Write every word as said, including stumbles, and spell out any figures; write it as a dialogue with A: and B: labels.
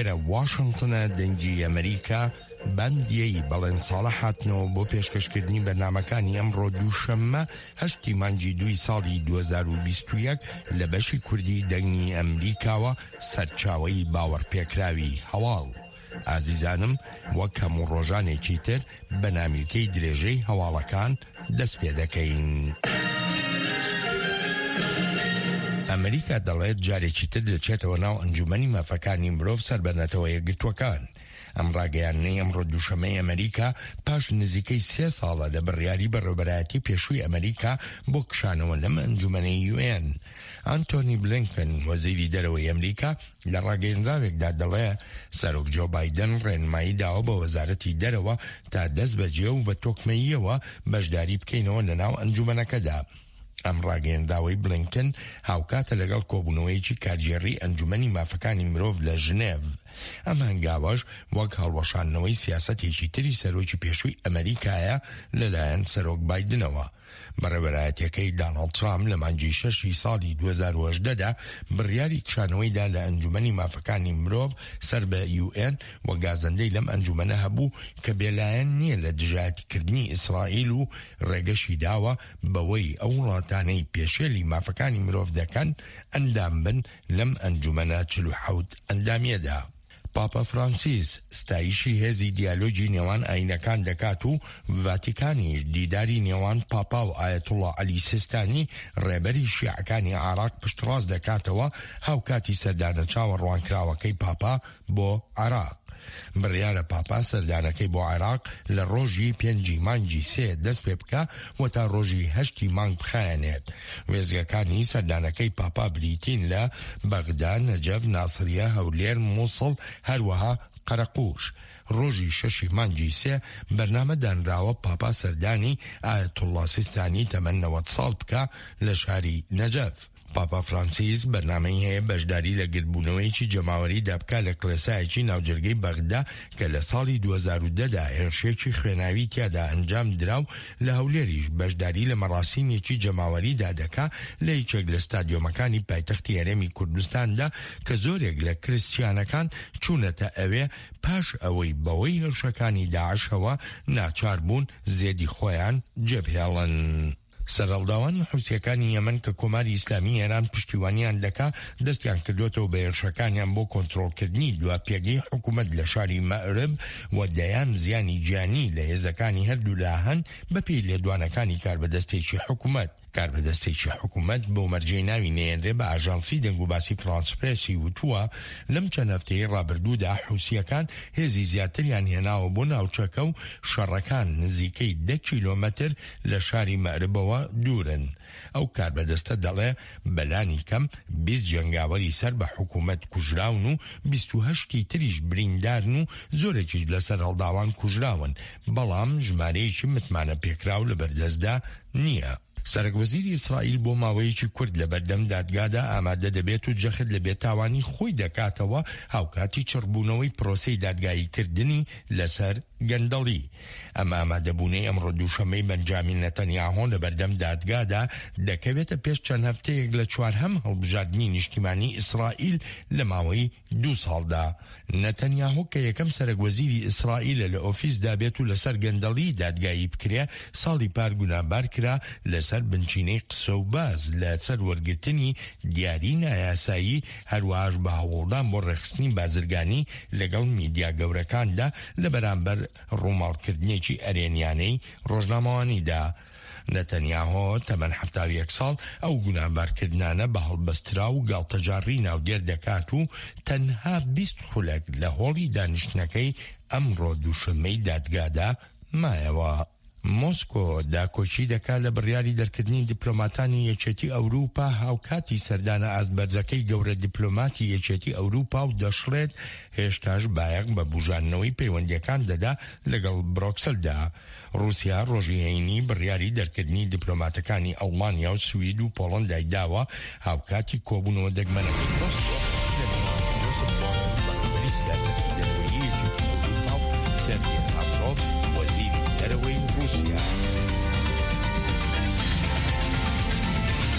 A: ئێرە واشنتنە، دەنگی ئەمریکا. بەندیەی بەڵێن ساڵە هاتنەوە بۆ پێشکەشکردنی بەرنامەکانی ئەمڕۆ دووشەممە هەشتی مانگی دووی ساڵی دوو هەزار و بیست و یەک لە بەشی کوردی دەنگی ئەمریکاوە، سەرچاوەی باوەڕپێکراوی هەواڵ. ئازیزانم، وەک هەموو ڕۆژانێکی تر بە نامیلکەی درێژەی هەواڵەکان دەست پێ دەکەین. ئەمریکا دەڵێت جارێکی تر دەچێتەوە ناو ئەنجومەنی مافەکانی مرۆڤ سەر بە نەتەوە یەکگرتووەکان. ئەم ڕاگەیاندنەی ئەمڕۆ دووشەممەی ئەمریکا پاش نزیکەی سێ ساڵە لە بڕیاری بەڕێوەبەرایەتی پێشووی ئەمریکا بۆ کشانەوە لەم ئەنجومەنەی یوئێن. ئەنتۆنی بلینکن وەزیری دەرەوەی ئەمریکا لە ڕاگەیەنراوێکدا دەڵێ سەرۆک جۆ بایدن ڕێنمایی داوە بە وەزارەتی دەرەوە تا دەست بەجێ و بە تۆکمەییەوە بەشداری بکەینەوە لەناو ئەنجومەنەکەدا. ئەم ڕاگەیەنراوەی بلینکن هاوکاتە لەگەڵ کۆبوونەوەیەکی کارگێڕی ئەنجومەنی مافەکانی مرۆڤ لە ژنێڤ. ئەم هەنگاوەش وەک هەڵوەشاندنەوەی سیاسەتێکی تری سەرۆکی پێشووی ئەمریکایە لەلایەن سەرۆک بایدنەوە. بەڕێوەرایەتیەکەی داناڵد ترامپ لە مانگی شەشی ساڵی دوو هەزار و هەژدە دا بڕیاری کشانەوەیدا لە ئەنجومەنی مافەکانی مرۆڤ سەر بە یوئێن و گازەندەی لەم ئەنجومەنە هەبوو کە بێلایەن نییە لە دژایەتیکردنی ئیسرائیل و ڕێگەشی داوە بەوەی ئەو وڵاتانەی پێشێلی مافەکانی مرۆڤ دەکەن ئەندام بن لەم ئەنجومەنە چل و حەوت ئەندامیەدا. پاپا فرانسیس ستایشی هێزی دیالۆگی نێوان ئاینەکان دەکات و ڤاتیکانیش دیداری نێوان پاپا و ئایەتوڵا عەلی سیستانی ڕێبەری شیعەکانی عێراق پشتڕاست دەکاتەوە، هاوکاتی سەردانە چاوەڕوانکراوەکەی پاپا بۆ عێراق. بڕیارە پاپا سەردانەکەی بۆ عێراق لە ڕۆژی پێنجی مانگی سێ دەست پێ بکا و تا ڕۆژی هەشتی مانگ بخایەنێت. وێستگەکانی سەردانەکەی پاپا بریتین لە بەغدا، نەجەف، ناسریە، هەولێر، موسڵ، هەروەها قەرەقوش. ڕۆژی شەشی مانگی سێ بەرنامە دانراوە پاپا سەردانی ئایەتوڵڵا سیستانی تەمەن نەوەد ساڵ بکا لە شاری نەجەف. پاپا فرانسیس بەرنامەی هەیە بەشداری لە گردبوونەوەیەکی جەماوەریدا بکا لە کڵێسایەکی ناوجەرگەی بەغدا کە لە ساڵی دوو هەزار و دە دا هێرشێکی خوێناوی تیادا ئەنجام درا و لە هەولێریش بەشداری لە مەراسیمێکی جەماوەریدا دەکا لە یەکێک لە ستادیۆمەکانی پایتەختی هەرێمی کوردستاندا کە زۆرێک لە کریستیانەکان چوونەتە ئەوێ پاش ئەوەی بەهۆی هێرشەکانی داعشەوە ناچار بوون زێدی خۆیان جێبهێڵن. سەرهەڵداوانی حوسییەکانی یەمەن کە کۆماری ئیسلامی ئێران پشتیوانیان دەکا، دەستیان کردووەتەوە بە هێرشەکانیان بۆ کۆنترۆڵکردنی دوا پێگەی حکوومەت لە شاری مەئرب و دەیان زیانی گیانی لە هێزەکانی هەردوولا هەن، بەپێی لێدوانەکانی کاربەدەستێکی حکوومەت. کاربەدەستێکی حکوومەت بەو مەرجەی ناوی نەیەنرێ بە ئاژانسی دەنگوباسی فرانس پرێسی وتووە، لەم چەند هەفتەیەی ڕابردوودا حوسییەکان هێزی زیاتریان هێناوە بۆ ناوچەکە و شەڕەکان نزیکەی دە کیلۆمەتر لە شاری مەئربەوە دوورن. ئەو کاربەدەستە دەڵێ بەلانی کەم بیست جەنگاوەری سەر بە حکوومەت کوژراون و بیست و هەشت ی تریش بریندارن و زۆرێکیش لە سەرهەڵداوان کوژراون، بەڵام ژمارەیەکی متمانەپێکراو لەبەردەستدا نییە. سەرەک وەزیری ئیسرائیل بۆ ماوەیەکی کورت لەبەردەم دادگادا ئامادە دەبێت و جەخت لە بێتاوانی خۆی دەکاتەوە، هاوکاتی چڕبوونەوەی پرۆسەی دادگاییکردنی لەسەر گەندەڵی. ئەم ئامادەبوونەی ئەمڕۆ دووشەممەی بەنجامین نەتەنیاهۆ لەبەردەم دادگادا دەکەوێتە پێش چەند هەفتەیەک لە چوارهەم هەڵبژاردنی نیشتیمانی ئیسرائیل لە ماوەی دوو ساڵدا. نەتەنیاهۆ کە یەکەم سەرەک وەزیری ئیسرائیلە لە ئۆفیسدا بێت و لەسەر گەندەڵی دادگایی بکرێ، ساڵی پار گوناهبار کرا لەسەر بنچینەی قسە و باس لەسەر وەرگرتنی دیاری نایاسایی، هەروەهاش بە هەوڵدان بۆ ڕێکخستنی بازرگانی لەگەڵ میدیا گەورەکاندا لە بەرامبەر ڕووماڵکردنێکی ئەرێنیانەی ڕۆژنامەوانیدا. نەتەنیاهۆ تەمەن حەفتا و یەک ساڵ ئەو گوناهبارکردنانە بە هەڵبەستراو و گاڵتەجاڕی ناودێر دەکات و تەنها بیست خولەک لە هۆڵی دانیشتنەکەی ئەمڕۆ دووشەممەی دادگادا مایەوە. مۆسکۆ داکۆکی دەکات لە بڕیاری دەرکردنی دیپلۆماتانی یەکێتی ئەوروپا هاوکاتی سەردانە ئاست بەرزەکەی گەورە دیپلۆماتی یەکێتی ئەوروپا و دەشڵێت هێشتاش بایەخ بە بوژاندنەوەی پەیوەندییەکان دەدا لەگەڵ برۆکسلدا. ڕووسیا ڕۆژی هەینی بڕیاری دەرکردنی دیپلۆماتەکانی ئەڵمانیا و سوید و پۆڵەندای داوە هاوکاتی کۆبوونەوە دەگمەنەکەی مۆسکۆ لە نێوان جۆسپ بۆرێل بەڕێوەبەری سیاسەتی دەرەوەیی یەکێتی ئەوروپا و سێرگێ لاڤرۆڤ وەزیری دەرەوەی ڕووسیا.